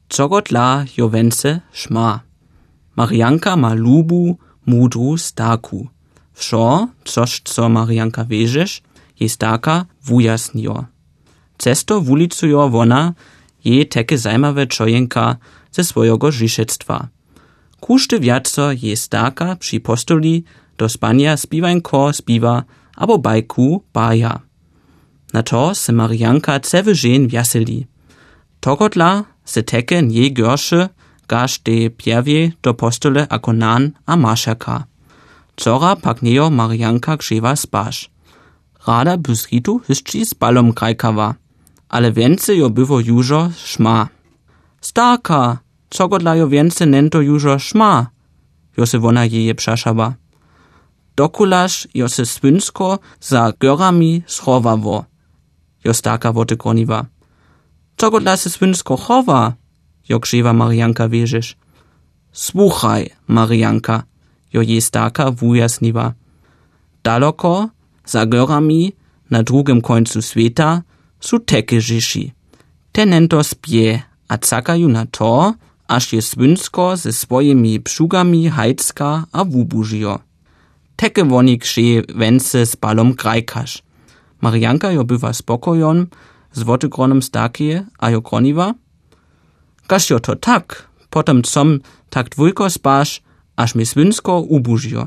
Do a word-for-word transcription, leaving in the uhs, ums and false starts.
Czogotla jo wence šma. Marianka ma lubu, mudru starku. Wšo, což co Marianka vežeš, je starka wujasnijo. Cesto wulicujo wona je teke zajmawe čojenka ze swojego žišectwa. Kušte wjaco je starka przy postoli do spania spiwańko spiwa abo bajku baja. Na to se Marianka ceve žen wjaseli. Togotla se teke nje görše, gaž de pjervje do postole ako nan a mašaka. Cora pak nejo Marianka křeva spaš. Rada by z ritu hyšči s balom krajkava, ale wence jo bywo južo šma. Starka, cogotla jo wence nento južo šma, jo se wona jeje přašava. Dokulaž jo se swynsko za görami schowawo, jo starka wote kroniwa. Cogotla se swynsko chowa, jo křeva Marianka vežeš. Słuchaj, Marianka, jo je starka wujasniwa. Daloko, za görami, na drugim końcu sveta, su teke žiši. Te nento spje, a cakaju na to, až je swynsko ze swojimi pšugami hajcka a wubužijo. Teke woni kše wence s balom krajkaš. Marianka jo bywa spokojon, z wotygronem starkije, a jo kroniwa. Kaž jo to tak, potom com tak dwójko spaš, aż mi swynsko ubužijo.